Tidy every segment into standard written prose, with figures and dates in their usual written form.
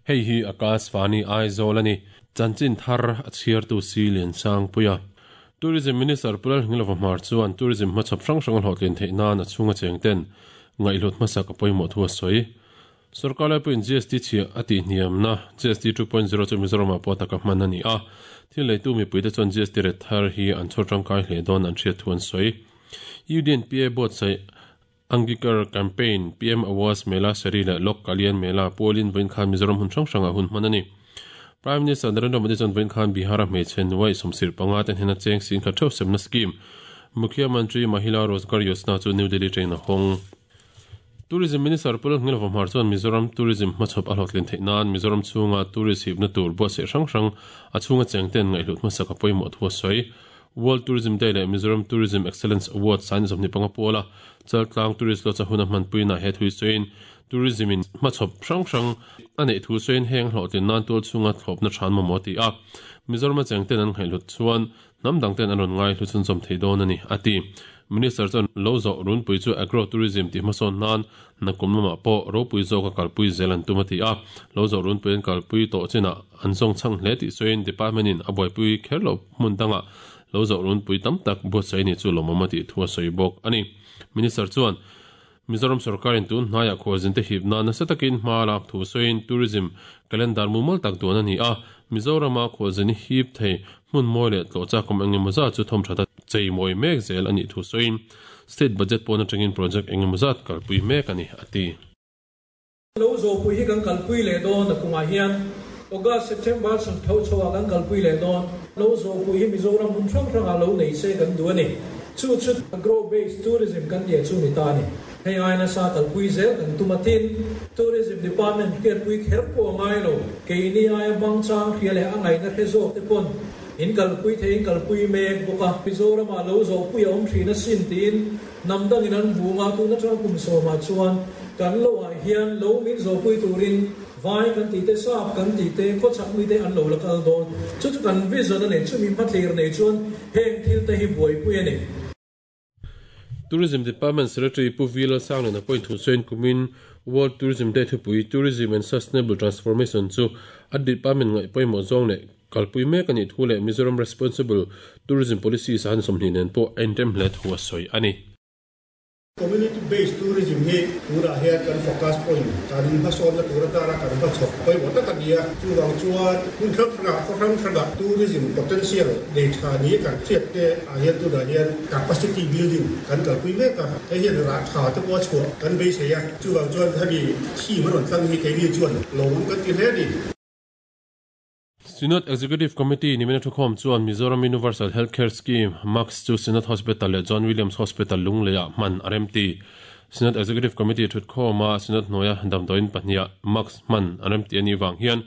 Hei hi Akashvani Aizawl a ni. Chanchin thar a chhiartu Si Liansangpuia. Tourism Minister Pu Lalhngilova Hmar chuan tourism hmachhawp hrang hrang a hlawhtlin theih nan a chhunga cheng ten ngaihhlut hmasak a pawimawh thu a sawi. Sorkar laipuiin GST chhiah a tihhniamna GST 2.0 chu Mizoramah pawh taka hman a ni a. Thil leitu mipuite chuan GST ret thar hi an chhawr tangkai hle dawn an hriat thu an sawi. UDNPA buatsaih Angikar Campaign, PM Awas Mela Seri leh Lok Kalyan Mela pualin vawiin khan Mizoram hun hrang hrangah hun hman a ni. Prime Minister Narendra Modi chuan vawiin khan Bihar-a hmeichhe nuai sawmsir panga te hnena cheng singkhat theuh semna scheme Mukhya Mantri Mahila Rozgar Yojana chu New Delhi train a hawng. Tourism Minister Pu Lalhngil Vahmar chuan Mizoram Tourism hmachhawp a hlawhtlin theih nan Mizoram chhunga tourist hipna tur buatsaih hrang hrang a chhunga chengten ngaihhlut hmasak a pawimawh thu a sawi. World Tourism Day leh Mizoram Tourism Excellence Award sain 25 puala Chaltlang Tourist Lodge a hun a hmanpuina he thui sawiin Tourism in hmachhawp hrang hrang a neih thu sawiin heng hlawhtlin nan tual chhunga thlawpna than mamawh a ti a. Mizoram a chengten an ngaihhlut chuan hnam dangten an rawn ngaihlu chhunzawm thei dawn a ni, a ti. Minister chuan lo zawh runpui chu Agro Tourism tih hmasawn nan nakum lamah pawh ropui zawka kalpui zel an tum a ti a. Lo zawh runpui an kalpui tawh chinah an zawng chhang hle tih sawiin Department in a buaipui kher loh hmun dangah lo zawh runpui tam tak buatsaih ni chu lawmawm a tih thu a sawi bawk a ni. Minister chuan Mizoram sorkarin tun hnaiah khualzinte hip nan nasa takin hma lak thu sawiin Tourism Calendar mumal tak duan a ni a, Mizorama khualzin hip thei hmun mawi leh tlawh chak awm engemaw zat chu thawmthat a chei mawi mek zel a nih thu sawiin State Budget pawn atangin project engemaw zat kalpui mek a ni, a ti. Lo zawhpui hi kan kalpui leh dawn a kumah hian August, September chhun tho chho ah kan kalpui leh dawn. Lo zawhpui hi Mizoram hmun hrang hrang ah lo nei se kan duh a ni. Chu chu Agro Based Tourism kan tia chu ni ta a ni. Hei ai nasa kalpui zel kan tum a tin Tourism Department hriatpui kher pawh a ngai lo. Keini aia hmang chang hria leh a ngaihna hre zawk te pawn in kalpui thei in kalpui mek bawk a. Mizoram ah lo zawhpui a awm thin asin tiin Hnam dangin an hmu nga tun atang kum sawmah chuan kan loah hian lo min zawhpui turin vai kan tih te, sap kan tih te, khawchhak mite an lo la kal dawn. Chu chu kan vision a nei, chumi hmathlir nei chuan heng thil te hi buaipui a ni. Tourism Department Secretary Pu V Lalsangliana pawhin thu sawiin kumin World Tourism Day thupui Tourism and Sustainable Transformation chu a department ngaih pawimawh zawng leh Kalpui mek a nih thu leh Mizoram Responsible Tourism Policy sahan 20 nen pawh a inrem hle thu a sawi a ni. Community Based Tourism hi tunah hian kan focus point kan hmasawnna tur atana kan hmachhawp pawimawh tak a ni a, chuvang chuan hmun hrang hrangah khaw hrang hrangah tourism potential nei tha ni kan hriat te ah hian tunah hian capacity building kan kalpui mek a, hei hian rah tha te pawh a chhuah kan beisei a, chuvang chuan hemi theme a rawn tlang hi keini chuan lawmawm kan ti hle a ni. Synod Executive Committee nimina thukhawm chuan Mizoram Universal Health Care Scheme, MACS, chu Synod Hospital leh John Williams Hospital Lungleiah hman a remti. Synod Executive Committee thutkhawma Synod hnuaia damdawiin pahniha MACS hman an remti a nih vang hian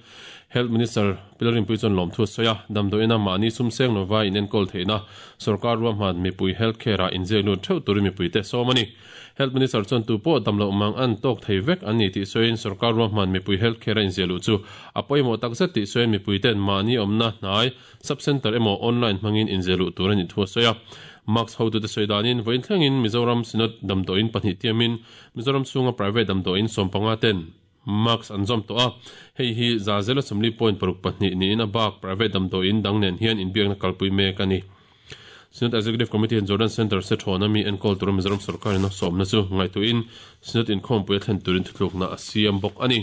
Health Minister Pi Lalrinpuii chuan lawmthu a sawi a, damdawiina mahni sumseng lova inenkawl theihna sorkar ruahman mipui health care-ah inziak lut theuh turin mipuite sawm a ni. Health Minister chuan tu pawh dam loh mang an tawk thei vek an ni tih sawiin sorkar ruahman mipui health care a inziah luh chu a pawimawh tak zet tih sawiin mipuiten mahni awmna hnai sub centre emaw online hmangin inziah luh tur a nih thu a sawi a. Mask hotute sawi danin vawiin thlengin Mizoram Synod damdawiin pahnih tiamin Mizoram chhunga private damdawiin 15 ten mask an zawm tawh a, hei hi za zela 40.62 niin a bak private damdawiin dang nen hian inbiakna kalpui mek a ni. Synod Executive Committee hian Jordan Centre se thawn a mi enkawl tura Mizoram sorkarin a sawmna chu ngaihtuahin Synod inkhawmpui a thlen turin thutlukna a siam bawk a ni.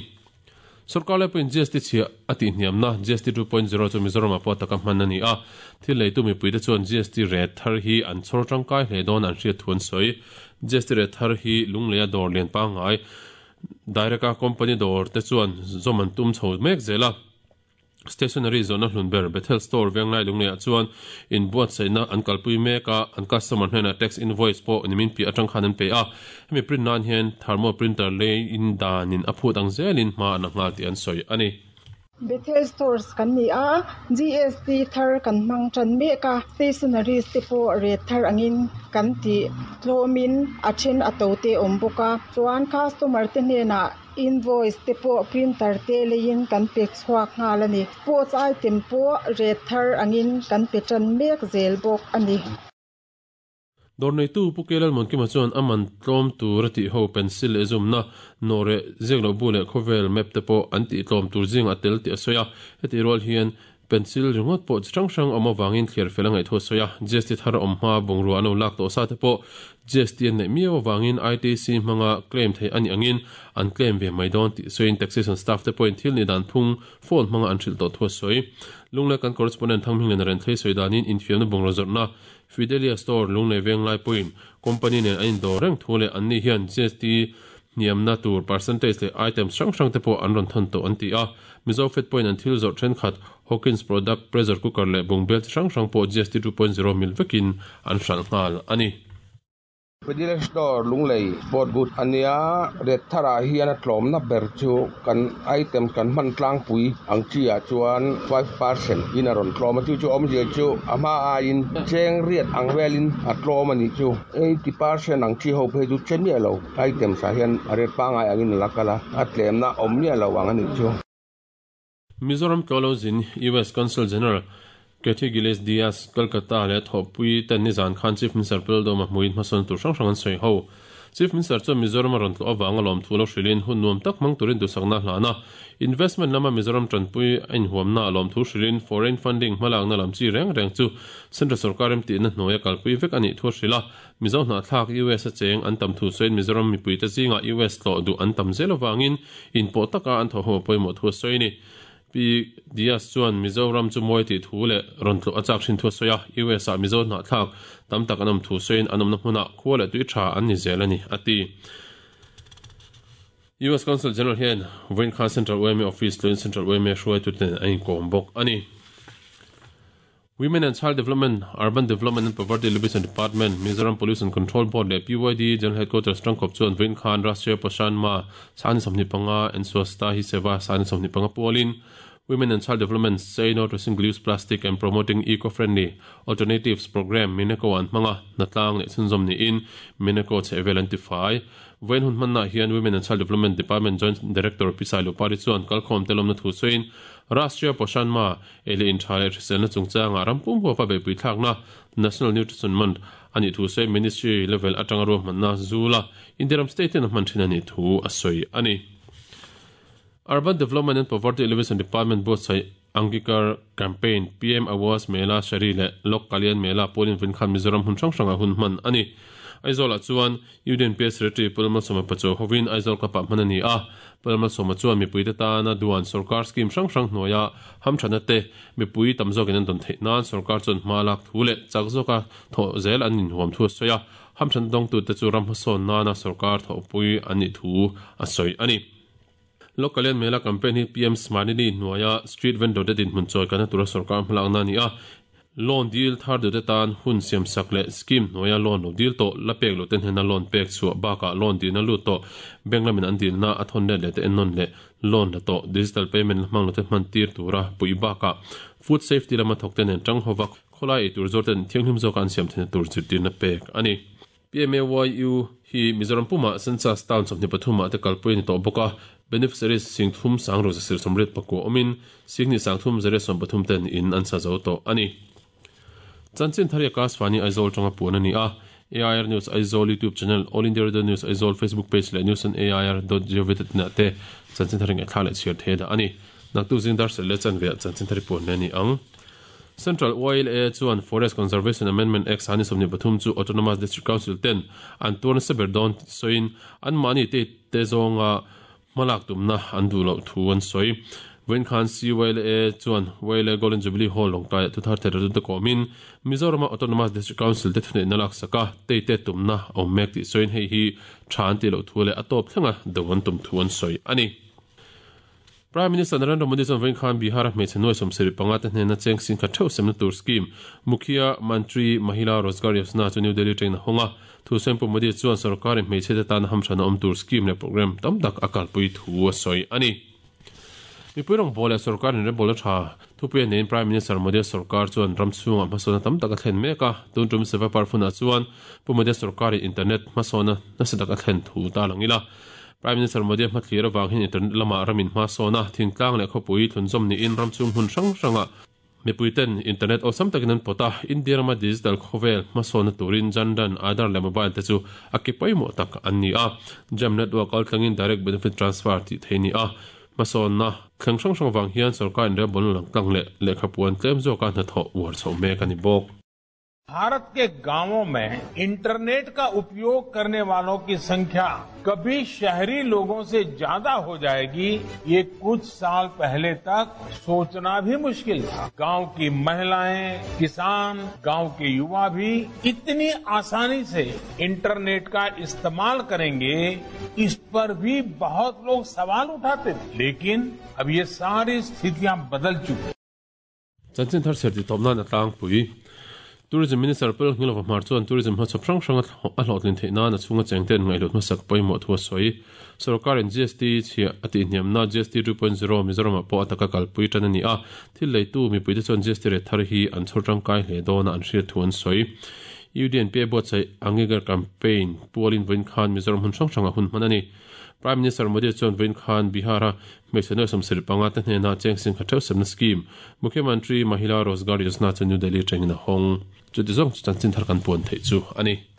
Sorkar lai pawhin GST chhiah a tihhniamna GST 2.0 chu Mizoramah pawh taka hman a ni a, thil leitu mipuite chuan GST rate thar hi an chhawr tangkai hle dawn an hriat thu an sawi. GST rate thar hi Lungleia dawr lian pangngai Direct-a company dawr te chuan zawm an tum chho mek zel a. Stationery zawhna hlun ber Bethel Store Venglai Lungleiah chuan inbuatsaihna an kalpui mek a, an customer hnenah tax invoice pawh nimin piah atang khan an pe a. Hemi print nan hian thermal printer leiin danin a phut ang zelin hma an la nghal tih an sawi a ni. Bethel Stores kan ni a, GST thar kan hmang tan mek a, stationaries te pawh rate thar angin kan tih tlawmin a then a to te a awm bawk a, chuan customer te hnenah invoice te pawh printer te leiin kan pe chhuak nghal a ni. Sports item pawh rate thar angin kan pe tan mek zel bawk a ni. Dawr neitu Pu Kelalmuankima chuan a man tlawm tur a tih ho pencil leh zumna, nawhreh, ziakloh bu leh khawvel map te pawh an tih tlawm tur zingah a tel tih a sawi a. Hetih rual hian pencil ringawt pawh chi hrang hrang awm avangin thliar fel a ngaih thu a sawi a. GST thar awm hma bungrua an lo lak tawh sa te pawh GST an neih miau avangin ITC hmanga claim theih a nih angin an claim ve mai dawn tih sawiin taxation staff te pawhin thil nih dan phung phone hmanga an hrilh tawh thu a sawi. Lunglai kan correspondent Thangmingliana Renthlei sawi danin infiamna bungraw zawrhna Fidelia Store Lunglei Venglai pawhin company nen an indawr reng thu leh anni hian GST hniamna tur percentage leh items hrang hrang te pawh an rawn thawn tawh an ti a. Mizo Fed pawhin an thil zawrh thenkhat Hawkins product, pressure cooker leh bungbel chi hrang hrang pawh GST 2.0 mil vekin an hralh nghal a ni. Fidelia Store Lunglei Sport Good a nia, Red tharah hian a tlawmna ber chu kan item kan hman tlangpui ang chi ah chuan 5% in a rawn tlawm a, chu chu awmzia chu a hma aiin cheng riat ang velin a tlawm a nih chu. 80% ang chi ho phei chu che miah lo items ah hian a ret pangngai angin a la kal a, a tlemna awm miah lo ang a nih chu. Mizoram tlawhlo zin US Consul General Kathy Gillis Diaz, Kolkata leh thawhpui ten nizan khan Chief Minister Pu Lalduhoma hmuin hmasawn tur hrang hrang an sawi ho. Chief Minister chuan Mizoram a rawn tlawh avanga lawmthu lo hrilhin hun nuam tak hmang turin duhsakna a hlan a. Investment lama Mizoram tanpui a inhuamna a lawmthu hrilhin foreign funding hmalakna lam chi reng reng chu Central sorkar remtihna hnuaia kalpui vek a nih thu a hrilh a. Mizo hnahthlak US a cheng an tam thu sawiin Mizoram mipuite zingah US tlawh duh an tam zel avangin inpawh taka an thawh ho a pawimawh thu a sawi a ni. Pi Diaz chuan Mizoram chu mawi tih thu leh rawn tlawh a chak thin thu a sawi a, US ah Mizo hnahthlak tam tak an awm thu sawiin an awmna hmunah khua leh tui tha an ni zel a ni, a ti. US Consul General hian vawiin khan Central yma Office tluin Central yma hruaituten an inkawm bawk a ni. Women and Child Development, Urban Development and Poverty Alleviation Department, Mizoram Pollution Control Board leh PYD General Headquarters tangkawp chuan vawiin khan Rashtriya Poshan Maah Sani 25 and Swasthta Hi Seva Sani 25 pualin Women and Child Development Say No to Single Use Plastic and Promoting Eco-Friendly Alternatives Programme Mineko an hmang a, hnatlang leh chhunzawm niin Mineko chhehvel an tifai. Vawiin hun hmannaah hian Women and Child Development Department Joint Director Pi Sailupari chuan kalkhawm te lawmna thu sawiin Rashtriya Poshan Maah Ei leh intha leh hriselna chungchangah ram pum huapa beihpui thlakna National Nutrition Month a nih thu sawi Ministry level atanga ruahmanna zula India ram state in a hman thin a nih thu a sawi a ni. Urban Development and Poverty Alleviation Department buatsaih Angikar Campaign, PM Awas Mela Shari leh Lok Kalyan Mela pawlin Vinkhan Mizoram hmun hrang hrangah hun hman a ni. Aizawlah chuan Union PA Secretary Pu Lalmalsawma Pachuau hovin Aizawl Cup-ah hman a ni a. Pu Lalmalsawma chuan mipuite tana duan sorkar scheme hrang hrang hnuaia hamthatna te mipui tam zawkin an dawn theih nan sorkar chuan hma lak thu leh chak zawka thawh zel an inhuam thu a sawi a. Hamthatna dawngtute chu ram hmasawn nana sorkar thawhpui an nih thu a sawi a ni. Lokallian Mela campaign hi PM Smarnidhi hnuaia street vendor te dinhmun chawi kalna tura sorkar hmalakna a ni a. Loan dil thar duhte tan hun siamsak leh scheme hnuaia loan lo dil tawh la pek loh te hnena loan pek chhuah bakah loan dilna lut tawh bank lamin an dilna a thawn let leh te ennawn leh loan la tawh digital payment la hmang lo te hman tir tura puih bakah food safety lama thawk te nen tang hova khawlai eitur zawr ten thianghlim zawka an siam theihna tur zirtirna pek a ni. PMAYU hi Mizoram pumah Census town 23 ah te kalpui a ni tawh bawk a, beneficiaries singthum sangruk zasir 84 awmin singhnih sangthum zariat 13 ten in an sa zo tawh a ni. Chanchin Thari Akashvani Aizawl tanga puan a ni a, AIR News Aizawl YouTube channel, All India Radio News Aizawl Facebook page leh news on air dot gov dot in ah te Chanchin Thari ngaihthlak leh chhiar thei a dah a ni. Naktuk zing dar serh leh chanve ah Chanchin Thari puan leh a ni ang. Central YLA chuan Forest Conservation Amendment Act 2023 chu Autonomous District Council ten an tuar nasa ber dawn tih sawiin anmahni te te zawnga hmalak tumna an duh loh thu an sawi. Vawiin khan CYLA chuan YLA Golden Jubilee Hall Lawngtlaiah thuthar theih te kawmin Mizorama Autonomous District Council te thuneihna laksak a tei te tumna a awm mek tih sawiin hei hi tha an tih loh thu leh a tawp thlenga do an tum thu an sawi a ni. Prime Minister Narendra Modi chuan vawiin khan Bihar-a hmeichhe nuai 75 te hnena cheng singkhat theuh semna tur scheme Mukhya Mantri Mahila Rozgar Yojana chu New Delhi atangin a hawng a. Thu Sawipu Modi chuan sorkarin hmeichhe te tana hamthan a awm tur scheme leh programme tam tak a kalpui thu a sawi a ni. Mipui rawngbâwl leh sorkarin rebawlna tha thupui a neiin Prime Minister Modi-a sorkar chuan ram chhungah hmasawnna tam tak a thlen mek a. Tun tum Seva Parv hunah chuan Pu Modi-a sorkarin internet hmasawnna nasa tak a thlen thu ta lang ila. Prime Minister Modi-a hmathlir avang hian internet lamah ramin hma sawn a, thingtlang leh khawpui thlunzawm niin ram chhung hmun hrang hrangah Mipuiten internet awlsam takin an pawt a, India rama digital khawvel hmasawnna turin Jan Dhan, Aadhaar leh mobile te chu a ke pawimawh tak an ni a. Jam network kaltlangin direct benefit transfer tih theih a ni a. Hmasawnna thleng hrang hrang vang hian sorkar inrelbawl lang tlang leh lehkhapuan tlem zawka hnathawh uar chhoh mek a ni bawk. Bharat के गांवों में internet का उपयोग करने वालों की संख्या कभी शहरी लोगों से ज्यादा हो जाएगी ये कुछ साल पहले तक सोचना भी मुश्किल था। गांव की महिलाएं, किसान, गांव के युवा भी इतनी आसानी से इंटरनेट का इस्तेमाल करेंगे, इस पर भी बहुत लोग सवाल उठाते थे, लेकिन अब ये सारी स्थितियां बदल चुकी। Chanchin thar chhiar tih tawp nan a tlangpui. Tourism Minister Pu Lalngilova Hmar chuan tourism hmachhawp hrang hrang a hlawhtlin theih nan a chhunga cheng ten ngaihhlut hmasak pawimawh thu a sawi. Sorkarin GST chhiah a tihhniamna GST 2.0 Mizoramah pawh a taka kalpui tan a ni a, thil leitu mipuite chuan GST rate thar hi an chhawr tangkai hle dawn a an hriat thu an sawi. UDNPA buatsaih Angigar Campaign pualin vawiin khan Mizoram hmun hrang hrangah hun hman a ni. Prime Minister Modi chuan vawiin khan Bihar-a hmeichhe nuai 75 te hnena cheng singkha theuh semna scheme Mukhyamantri Mahila Rozgar Yojana chu New Delhi atangin a hawng. Chuti zawng chu chanchin thar kan puan theih chu a ni.